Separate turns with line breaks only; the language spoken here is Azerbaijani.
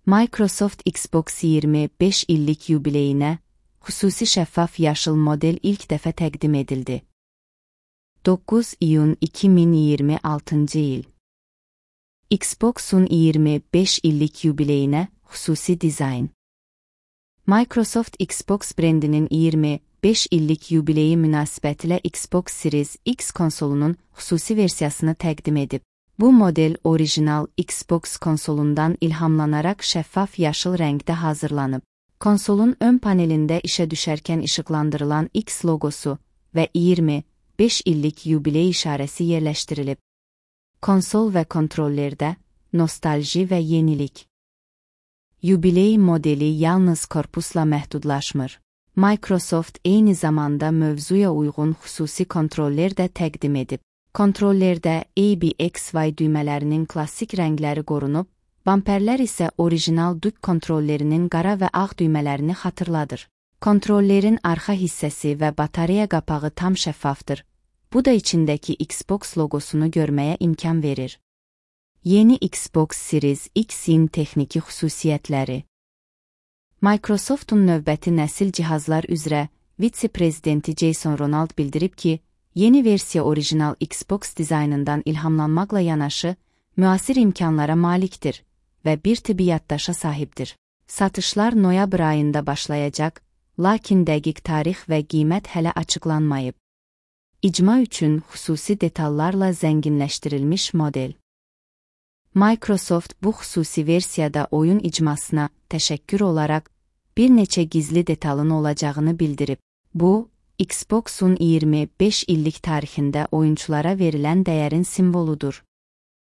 Microsoft Xbox 25 illik yubileyinə xüsusi şəffaf yaşıl model ilk dəfə təqdim edildi. 9 iyun 2026 il. Xbox'un 25 illik yubileyinə xüsusi dizayn. Microsoft Xbox brendinin 25 illik yubileyi münasibətilə Xbox Series X konsolunun xüsusi versiyasını təqdim edib. Bu model orijinal Xbox konsolundan ilhamlanaraq şəffaf yaşıl rəngdə hazırlanıb. Konsolun ön panelində işə düşərkən işıqlandırılan X logosu və 25 illik yubiley işarəsi yerləşdirilib. Konsol və kontrollerdə nostalji və yenilik. Yubiley modeli yalnız korpusla məhdudlaşmır. Microsoft eyni zamanda mövzuya uyğun xüsusi kontroller də təqdim edib. Kontrollerdə ABXY düymələrinin klassik rəngləri qorunub, bamperlər isə orijinal dük kontrollerinin qara və ağ düymələrini xatırladır. Kontrollerin arxa hissəsi və batareya qapağı tam şəffafdır. Bu da içindəki Xbox logosunu görməyə imkan verir. Yeni Xbox Series X-in texniki xüsusiyyətləri. Microsoft'un növbəti nəsil cihazlar üzrə vitse-prezidenti Jason Ronald bildirib ki, yeni versiya orijinal Xbox dizaynından ilhamlanmaqla yanaşı, müasir imkanlara malikdir və bir tibbi yaddaşa sahibdir. Satışlar noyabr ayında başlayacaq, lakin dəqiq tarix və qiymət hələ açıqlanmayıb. İcma üçün xüsusi detallarla zənginləşdirilmiş model. Microsoft bu xüsusi versiyada oyun icmasına təşəkkür olaraq bir neçə gizli detalın olacağını bildirib. Bu, Xbox'un 25 illik tarixində oyunçulara verilən dəyərin simvoludur.